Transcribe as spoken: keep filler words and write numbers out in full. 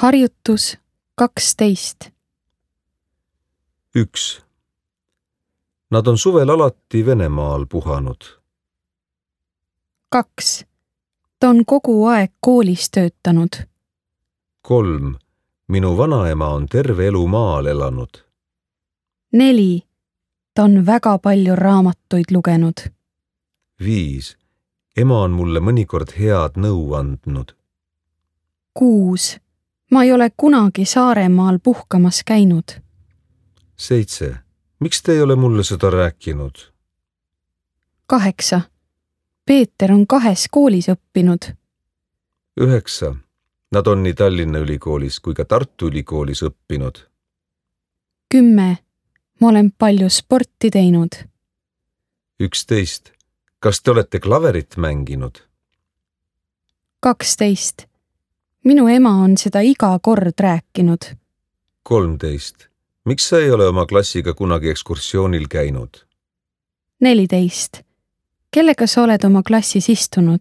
Harjutus kaksteist. üks. Nad on suvel alati Venemaal puhanud. kaks. Ta on kogu aeg koolis töötanud. kolm. Minu vanaema on terve elu maal elanud. neli. Ta on väga palju raamatuid lugenud. viis. Ema on mulle mõnikord head nõu andnud. kuus. Ma ei ole kunagi Saaremaal puhkamas käinud. seitse. Miks te ei ole mulle seda rääkinud? kaheksa. Peeter on kahes koolis õppinud. üheksa. Nad on nii Tallinna Ülikoolis kui ka Tartu Ülikoolis õppinud. kümme. Ma olen palju sporti teinud. üksteist. Kas te olete klaverit mänginud? kaksteist. Minu ema on seda iga kord rääkinud. kolmteist. Miks sa ei ole oma klassiga kunagi ekskursioonil käinud? neliteist. Kellega sa oled oma klassis istunud?